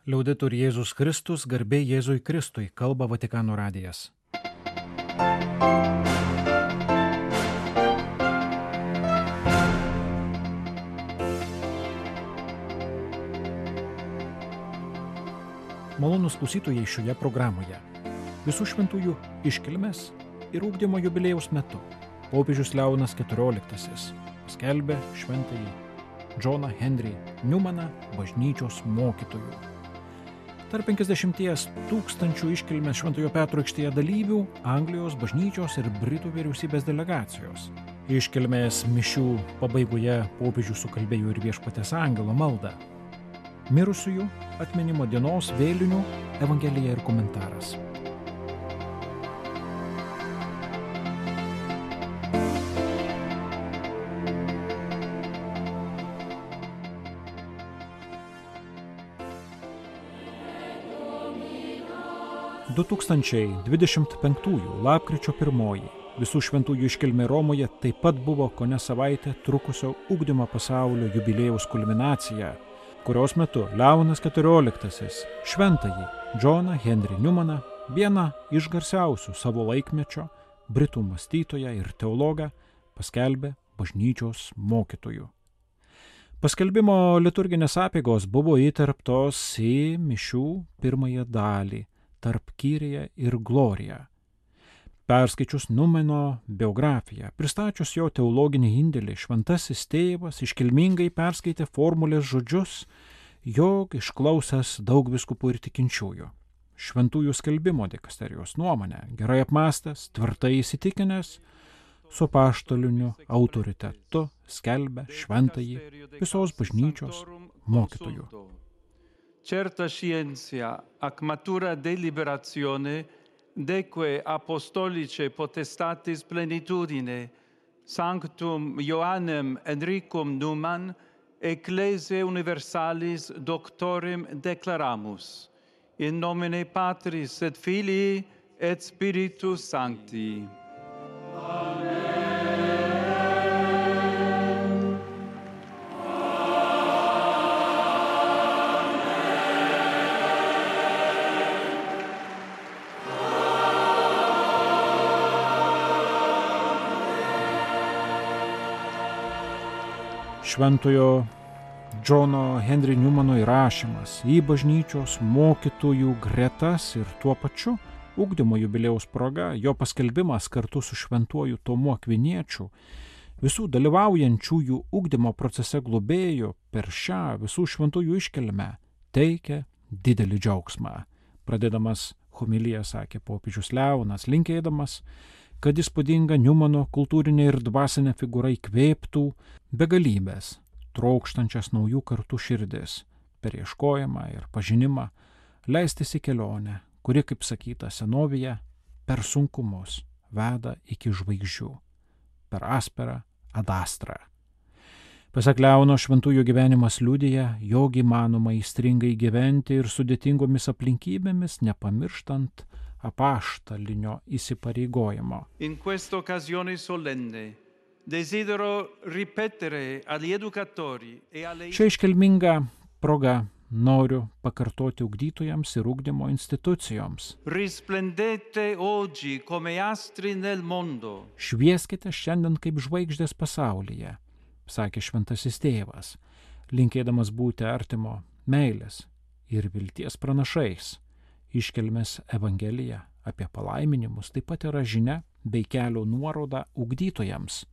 Liaudetur Jėzus Kristus, garbė Jėzui Kristui, kalba Vatikano radijas. Malonūs klausytojai šioje programoje. Visų šventųjų iškilmės ir ugdymo jubiliejaus metu popiežius Leonas XIV paskelbė šventąjį Džoną Henry Newmaną bažnyčios mokytoju. Tarp 50 000 iškilmės Šventojo Petro aikštėje dalyvių Anglijos bažnyčios ir Britų vyriausybės delegacijos. Iškilmės mišių pabaigoje popiežius sukalbėjo ir Viešpaties angelo maldą. Mirusiųjų atminimo dienos vėlinių evangelija ir komentaras. – 2025 lapkričio 1 visų šventųjų iškilmė Romoje taip pat buvo kone savaitę trukusio ugdymo pasaulio jubiliejaus kulminacija, kurios metu Leonas XIV šventąjį Džoną Henry Newmaną, vieną iš garsiausių savo laikmečio britų mąstytoją ir teologą, paskelbė bažnyčios mokytoju. Paskelbimo liturginės apeigos buvo įterptos į mišių pirmąją dalį tarp Kyrie ir Glorija. Perskaičius Newmano biografiją, pristačius jo teologinį indėlį, šventasis tėvas iškilmingai perskaitė formulės žodžius, jog išklausęs daug vyskupų ir tikinčiųjų. Šventųjų skelbimo dikasterijos nuomonę, gerai apmąstęs, tvirtai įsitikinęs, su apaštaliniu autoritetu skelbia šventąjį visos bažnyčios mokytoju. Certa scientia ac matura deliberazione deque apostolice potestatis plenitudine sanctum Ioannem Henricum Newman ecclesiae universalis doctorem declaramus in nomine Patris et Filii et Spiritus Sancti. Šventojo Džono Henry Newmano įrašymas į bažnyčios mokytojų gretas ir tuo pačiu ugdymo jubiliejaus proga, jo paskelbimas kartu su šventuoju Tomu Akviniečiu, visų dalyvaujančiųjų ugdymo procese globėjų per šią visų šventųjų iškilmę teikia didelį džiaugsmą. Pradėdamas homiliją sakė popiežius Leonas, linkėdamas, kad įspūdinga Newmano kultūrinė ir dvasinė figūra įkvėptų begalybės, trokštančias naujų kartų širdis, per ieškojimą ir pažinimą, leistis į kelionę, kuri, kaip sakyta senovėje, per sunkumus veda iki žvaigždžių, per asperą adastrą. Pasak Leono, šventųjų gyvenimas liudija, jog įmanoma įstringai gyventi ir sudėtingomis aplinkybėmis, nepamirštant apaštalinio įsipareigojimo. In questa occasione solenne desidero ripetere agli educatori e alle Šią iškilmingą progą noriu pakartoti ugdytojams ir ugdymo institucijoms. Risplendete oggi come astri nel mondo. Švieskite šiandien kaip žvaigždės pasaulyje, sakė šventasis tėvas, linkėdamas būti artimo meilės ir vilties pranašais. Iškelmės evangelija apie palaiminimus taip pat yra žinia bei kelio nuoroda ugdytojams.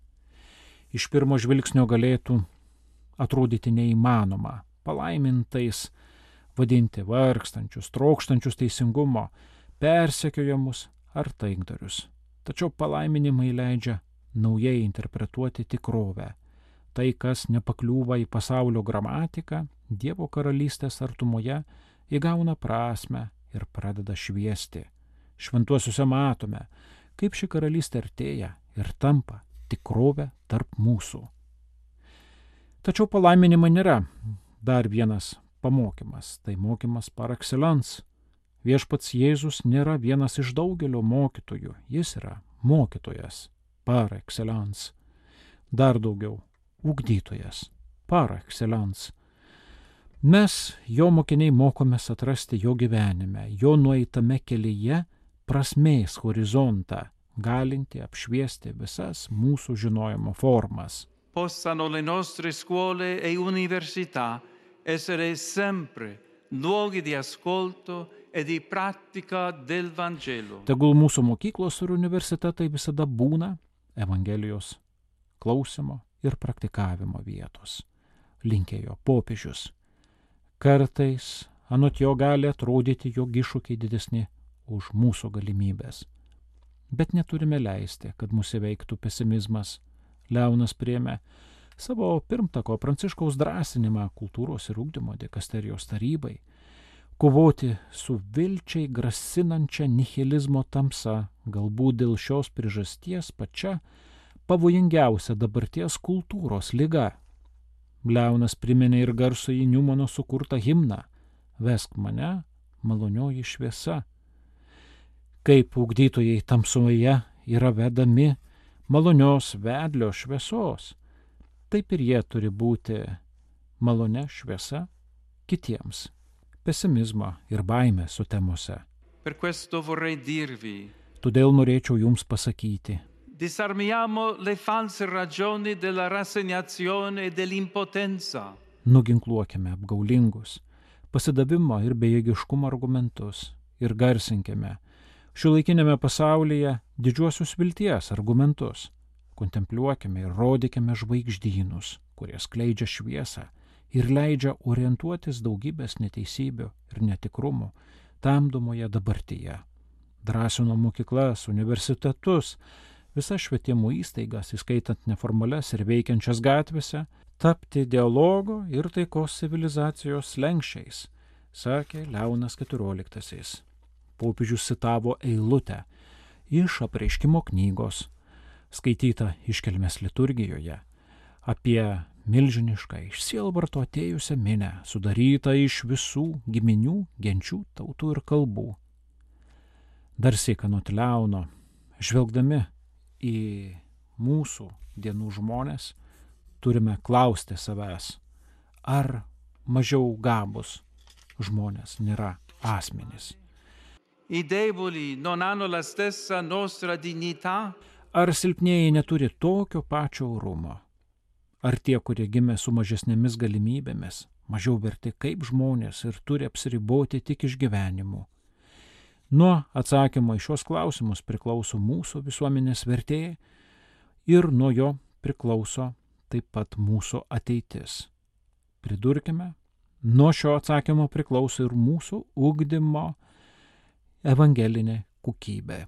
Iš pirmo žvilgsnio galėtų atrodyti neįmanoma palaimintais vadinti vargstančius, trokštančius teisingumo, persekiojamus ar taikdarius. Tačiau palaiminimai leidžia naujai interpretuoti tikrovę. Tai, kas nepakliūva į pasaulio gramatiką, Dievo karalystės artumoje įgauna prasmę ir pradeda šviesti. Šventuosiuose matome, kaip ši karalystė artėja ir tampa tikrovė tarp mūsų. Tačiau palaiminimai nėra dar vienas pamokymas, tai mokymas par excellence. Viešpats Jėzus nėra vienas iš daugelio mokytojų, jis yra mokytojas par excellence. Dar daugiau, ugdytojas par excellence. Mes, jo mokiniai, mokomės atrasti jo gyvenime, jo nueitame kelyje prasmės horizontą, galinti apšviesti visas mūsų žinojimo formas. Possano le nostre scuole e università essere sempre luoghi di ascolto e di pratica del Vangelo. Tegul mūsų mokyklos ir universitetai visada būna Evangelijos klausimo ir praktikavimo vietos, linkėjo popiežius. Kartais anot jo gali atrodyti, jog iššūkiai didesni už mūsų galimybės. Bet neturime leisti, kad mus įveiktų pesimizmas. Leonas priėmė savo pirmtako Pranciškaus drąsinimą kultūros ir ugdymo dikasterijos tarybai kovoti su vilčiai grasinančia nihilizmo tamsa, galbūt dėl šios priežasties pačia pavojingiausia dabarties kultūros liga. Leonas priminė ir garsųjį Niumano sukurtą himną Vesk mane, malonioji šviesa. Kaip ugdytojai tamsoje yra vedami malonios vedlio šviesos, taip ir jie turi būti malonia šviesa kitiems pesimizmo ir baimės sutemose. Per questo vorrei dirvi: Todėl norėčiau jums pasakyti, disarmiamo le false ragioni della rassegnazione e dell'impotenza. nuginkluokime apgaulingus pasidavimo ir bejėgiškumo argumentus ir garsinkime šiuolaikinėme pasaulyje didžiuosius vilties argumentus. Kontempliuokime ir rodykime žvaigždynus, kurie skleidžia šviesą ir leidžia orientuotis daugybės neteisybių ir netikrumų tamdomoje dabartyje. Drąsino mokyklas, universitetus, visas švietimo įstaigas, įskaitant neformalias ir veikiančias gatvėse, tapti dialogo ir taikos civilizacijos slenksčiais, sakė Leonas XIV. Popiežius citavo eilutę iš Apreiškimo knygos, skaityta iškelmės liturgijoje, apie milžinišką iš sielvarto atėjusią minią, sudarytą iš visų giminių, genčių, tautų ir kalbų. Dar sykį anot Leono, žvelgdami į mūsų dienų žmonės, turime klausti savęs, ar mažiau gabus žmonės nėra asmenys. I deboli non hanno la stessa nostra dignità? Ar silpnieji neturi tokio pačio orumo? Ar tie, kurie gimė su mažesnėmis galimybėmis, mažiau verti kaip žmonės ir turi apsiriboti tik išgyvenimu? Nuo atsakymo į šios klausimus priklauso mūsų visuomenės vertė ir nuo jo priklauso taip pat mūsų ateitis. Pridurkime, nuo šio atsakymo priklauso ir mūsų ugdymo evangelinė kokybė,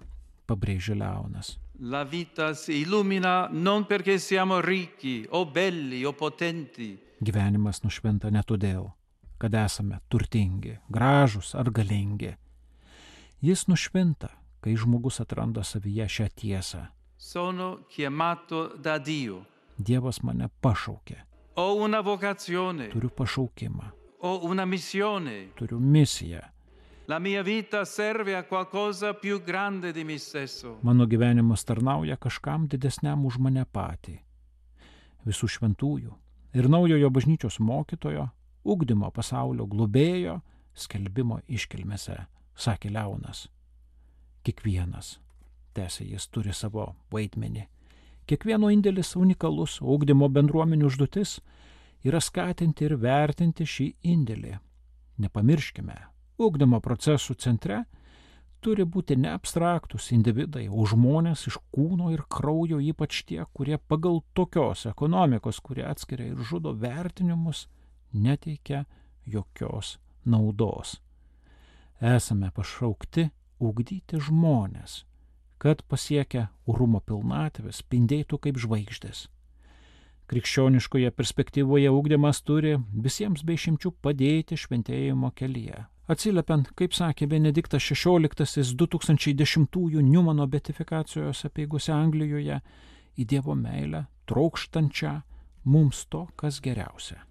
pabrėžė Leonas. La vita si illumina non perché siamo ricchi o belli o potenti. Gyvenimas nušvinta ne todėl, kad esame turtingi, gražūs ar galingi. Jis nušvinta, kai žmogus atranda savyje šią tiesą. Sono chiamato da Dio. Dievas mane pašaukė. Ho una vocazione. Turiu pašaukimą. Ho una missione. Turiu misiją. La mia vita serve a qualcosa più grande di me stesso. Mano gyvenimas tarnauja kažkam didesniam už mane patį. Visų šventųjų ir naujojo bažnyčios mokytojo, ugdymo pasaulio globėjo, skelbimo iškilmėse, sakė Leonas. Kiekvienas, tęsė jis, turi savo vaidmenį. Kiekvieno indėlis unikalus, ugdymo bendruomenių užduotis yra skatinti ir vertinti šį indėlį. Nepamirškime, ugdymo procesų centre turi būti ne abstraktus individai, o žmonės iš kūno ir kraujo, ypač tie, kurie pagal tokios ekonomikos, kurie atskiria ir žudo vertinimus, neteikia jokios naudos. Esame pašaukti ugdyti žmonės, kad pasiekę orumo pilnatvės spindėtų kaip žvaigždės. Krikščioniškoje perspektyvoje ugdymas turi visiems be išimčių padėti šventėjimo kelyje. Atsiliepiant, kaip sakė Benediktas XVI 2010 Niumano beatifikacijos apeigose Anglijoje, į Dievo meilę trokštančią mums to, kas geriausia.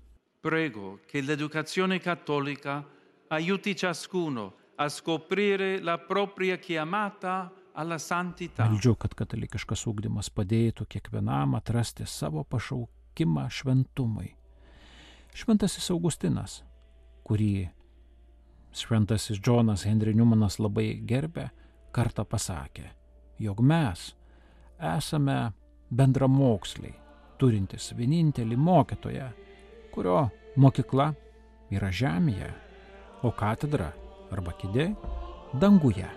Prego che l'educazione cattolica aiuti ciascuno a scoprire la propria chiamata alla santità. Meldžiu, kad katalikiškas ugdymas padėtų kiekvienam atrasti savo pašaukimą šventumui. Šventasis Augustinas kurį šventasis Džonas Henry Newmanas labai gerbė, kartą pasakė, jog mes esame bendramoksliai, turintis vienintelį mokytoją, kurio mokykla yra žemėje, o katedra arba kėdė danguje.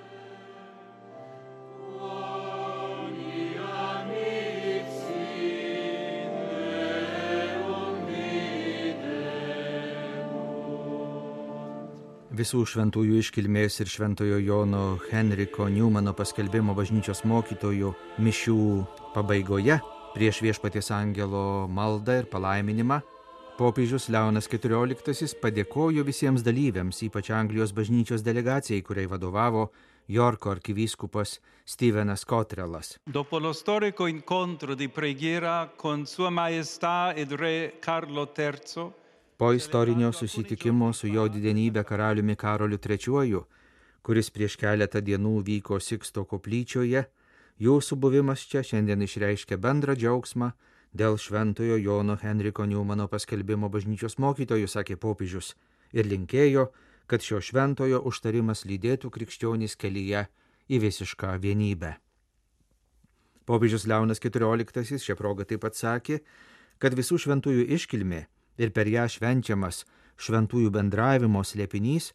Visų šventųjų iškilmės ir šventojo Jono Henriko Newmano paskelbimo bažnyčios mokytojų mišių pabaigoje, prieš Viešpaties angelo maldą ir palaiminimą, popiežius Leonas XIV padėkojo visiems dalyviams, ypač Anglijos bažnyčios delegacijai, kuriai vadovavo Jorko arkivyskupas Stevenas Cottrellas. Dopo lo storico incontro di preghiera con Sua Maestà ed Re Carlo III, Po istorinio susitikimo su jo didenybė karaliumi Karoliu III, kuris prieš keletą dienų vyko Siksto koplyčioje, jūsų buvimas čia šiandien išreiškia bendrą džiaugsmą dėl šventojo Jono Henriko Newmano paskelbimo bažnyčios mokytojų, sakė popiežius, ir linkėjo, kad šio šventojo užtarimas lydėtų krikščionys kelyje į visišką vienybę. Popiežius Leonas XIV šią progą taip pat sakė, kad visų šventųjų iškilmė ir per ją švenčiamas šventųjų bendravimo slėpinys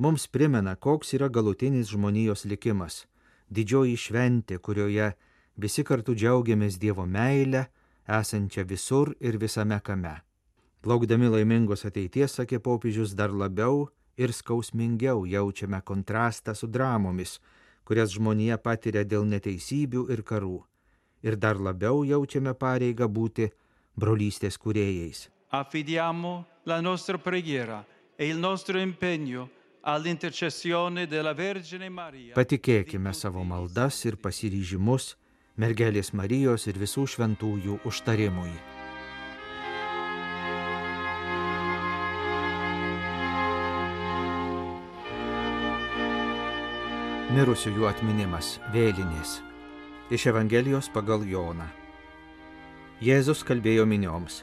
mums primena, koks yra galutinis žmonijos likimas, didžioji šventė, kurioje visi kartu džiaugiamės Dievo meilę, esančią visur ir visame kame. Laukdami laimingos ateities, sakė popiežius, dar labiau ir skausmingiau jaučiame kontrastą su dramomis, kurias žmonija patiria dėl neteisybių ir karų, ir dar labiau jaučiame pareigą būti brolystės kūrėjais. affidiamo la nostra preghiera e il nostro impegno all'intercessione della Vergine Maria. Patikėkime savo maldas ir pasiryžimus mergelės Marijos ir visų šventųjų užtarimui. Mirusiųjų atminimas, vėlinės. Iš Evangelijos pagal Joną. Jėzus kalbėjo minioms.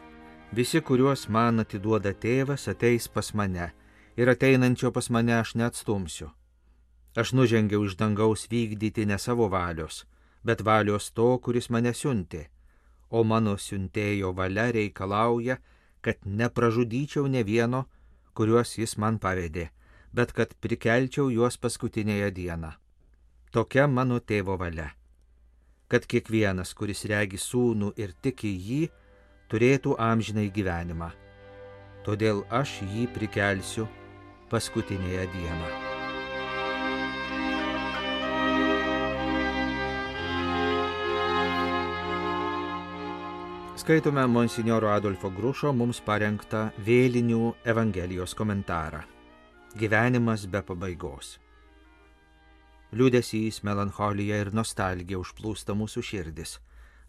Visi, kuriuos man atiduoda tėvas, ateis pas mane, ir ateinančio pas mane aš neatstumsiu. Aš nužengiau iš dangaus vykdyti ne savo valios, bet valios to, kuris mane siuntė, o mano siuntėjo valia reikalauja, kad nepražudyčiau ne vieno, kuriuos jis man pavedė, bet kad prikelčiau juos paskutinėje dieną. Tokia mano tėvo valia, kad kiekvienas, kuris regi sūnų ir tiki jį, turėtų amžinai gyvenimą. Todėl aš jį prikelsiu paskutinėje dieną. Skaitome monsinjoro Adolfo Grušo mums parengtą vėlinių Evangelijos komentarą. Gyvenimas be pabaigos. Liūdesys, melancholija ir nostalgija užplūsta mūsų širdis.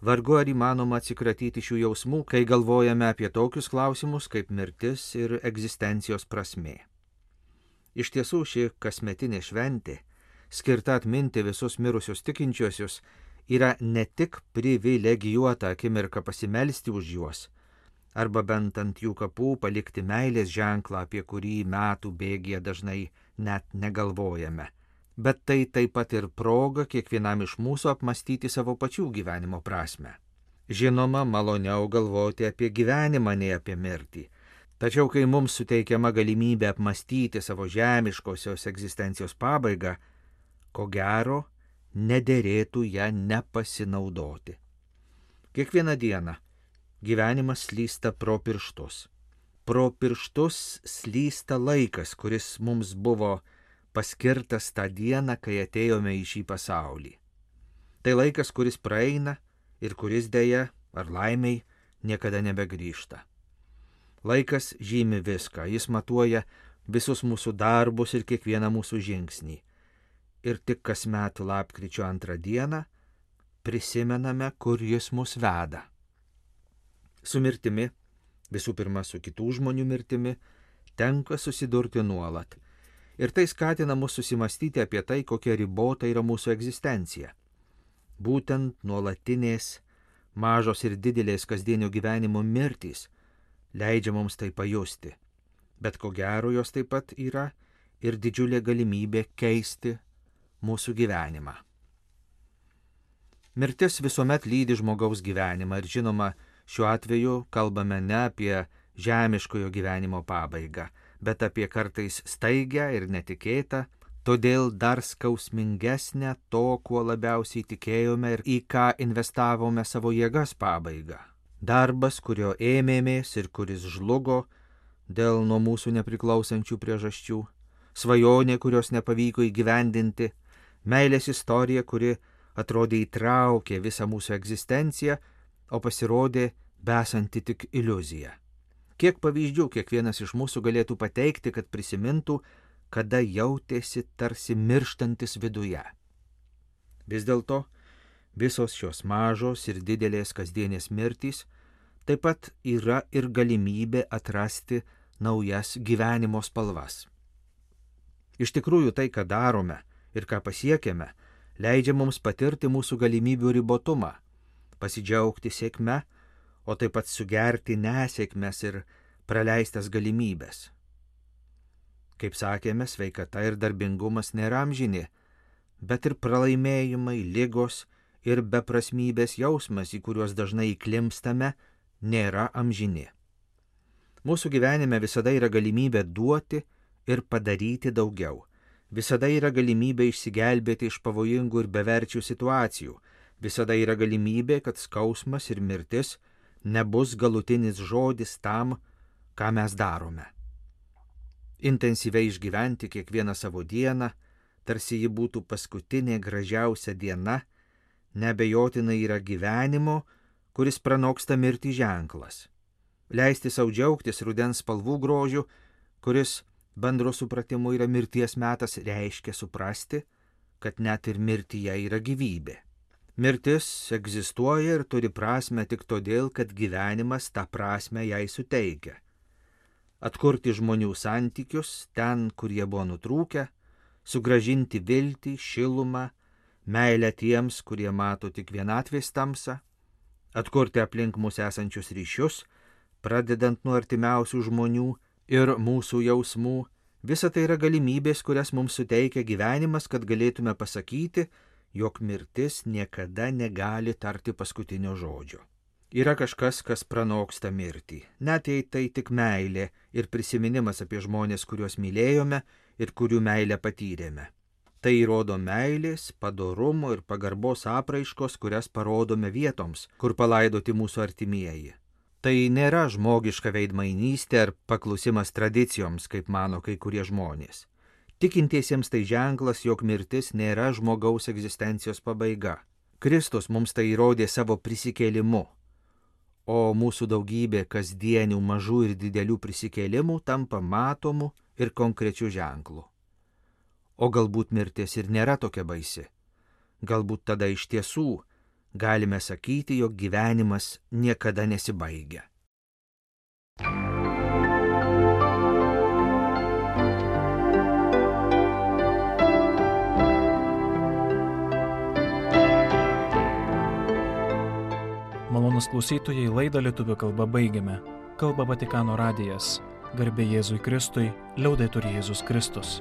Vargu ar įmanoma atsikratyti šių jausmų, kai galvojame apie tokius klausimus kaip mirtis ir egzistencijos prasmė. Iš tiesų ši kasmetinė šventė, skirta atminti visus mirusius tikinčiuosius, yra ne tik privilegijuota akimirka pasimelsti už juos, arba bent ant jų kapų palikti meilės ženklą, apie kurį metų bėgyje dažnai net negalvojame. Bet tai taip pat ir proga kiekvienam iš mūsų apmastyti savo pačių gyvenimo prasmę. Žinoma, maloniau galvoti apie gyvenimą nei apie mirtį. Tačiau, kai mums suteikiama galimybė apmastyti savo žemiškosios egzistencijos pabaigą, ko gero, nederėtų ją nepasinaudoti. Kiekvieną dieną gyvenimas slysta pro pirštus. Pro pirštus slysta laikas, kuris mums buvo paskirtas tą dieną, kai atėjome į šį pasaulį. Tai laikas, kuris praeina ir kuris dėja, ar laimiai, niekada nebegrįžta. Laikas žymi viską, jis matuoja visus mūsų darbus ir kiekvieną mūsų žingsnį. Ir tik kasmet lapkričio 2 dieną prisimename, kur jis mus veda. Su mirtimi, visų pirma su kitų žmonių mirtimi, tenka susidurti nuolat. Ir tai skatina mus susimastyti apie tai, kokia ribota yra mūsų egzistencija. Būtent nuolatinės, mažos ir didelės kasdienio gyvenimo mirtys leidžia mums tai pajusti. Bet ko gero jos taip pat yra ir didžiulė galimybė keisti mūsų gyvenimą. Mirtis visuomet lydi žmogaus gyvenimą ir žinoma, šiuo atveju kalbame ne apie žemiškojo gyvenimo pabaigą, bet apie kartais staigę ir netikėtą, todėl dar skausmingesnę to, kuo labiausiai tikėjome ir į ką investavome savo jėgas pabaigą. Darbas, kurio ėmėmės ir kuris žlugo dėl nuo mūsų nepriklausančių priežasčių, svajonė, kurios nepavyko įgyvendinti, meilės istorija, kuri atrodė įtraukė visą mūsų egzistenciją, o pasirodė besanti tik iliuzija. Kiek pavyzdžių kiekvienas iš mūsų galėtų pateikti, kad prisimintų, kada jautėsi tarsi mirštantis viduje. Vis dėlto, visos šios mažos ir didelės kasdienės mirtys taip pat yra ir galimybė atrasti naujas gyvenimo spalvas. Iš tikrųjų, tai, ką darome ir ką pasiekėme, leidžia mums patirti mūsų galimybių ribotumą, pasidžiaugti sėkme, o taip pat sugerti nesėkmes ir praleistas galimybės. Kaip sakėme, sveikata ir darbingumas nėra amžini, bet ir pralaimėjimai, ligos ir beprasmybės jausmas, į kuriuos dažnai įklimpstame, nėra amžini. Mūsų gyvenime visada yra galimybė duoti ir padaryti daugiau. Visada yra galimybė išsigelbėti iš pavojingų ir beverčių situacijų. Visada yra galimybė, kad skausmas ir mirtis nebus galutinis žodis tam, ką mes darome. Intensyviai išgyventi kiekvieną savo dieną, tarsi ji būtų paskutinė gražiausia diena, neabejotinai yra gyvenimo, kuris pranoksta mirtį ženklas. Leisti sau džiaugtis rudens spalvų grožiu, kuris bendro supratimu yra mirties metas, reiškia suprasti, kad net ir mirtyje yra gyvybė. Mirtis egzistuoja ir turi prasmę tik todėl, kad gyvenimas tą prasmę jai suteikia. Atkurti žmonių santykius ten, kur jie buvo nutrūkę, sugrąžinti viltį, šilumą, meilę tiems, kurie mato tik vienatvės tamsą, atkurti aplink mus esančius ryšius, pradedant nuo artimiausių žmonių ir mūsų jausmų. Visa tai yra galimybės, kurias mums suteikia gyvenimas, kad galėtume pasakyti, jog mirtis niekada negali tarti paskutinio žodžio. Yra kažkas, kas pranoksta mirtį, net jei tai tik meilė ir prisiminimas apie žmonės, kuriuos mylėjome ir kurių meilę patyrėme. Tai įrodo meilės, padorumo ir pagarbos apraiškos, kurias parodome vietoms, kur palaidoti mūsų artimieji. Tai nėra žmogiška veidmainystė ar paklusimas tradicijoms, kaip mano kai kurie žmonės. Tikintiesiems tai ženklas, jog mirtis nėra žmogaus egzistencijos pabaiga. Kristus mums tai įrodė savo prisikėlimu, o mūsų daugybė kasdienių mažų ir didelių prisikėlimų tampa matomu ir konkrečiu ženklu. O galbūt mirtis ir nėra tokia baisi. Galbūt tada iš tiesų galime sakyti, jog gyvenimas niekada nesibaigia. Malonūs klausytojai, laidą lietuvių kalba baigiame. Kalba Vatikano radijas. Garbė Jėzui Kristui, liaudetur Jėzus Kristus.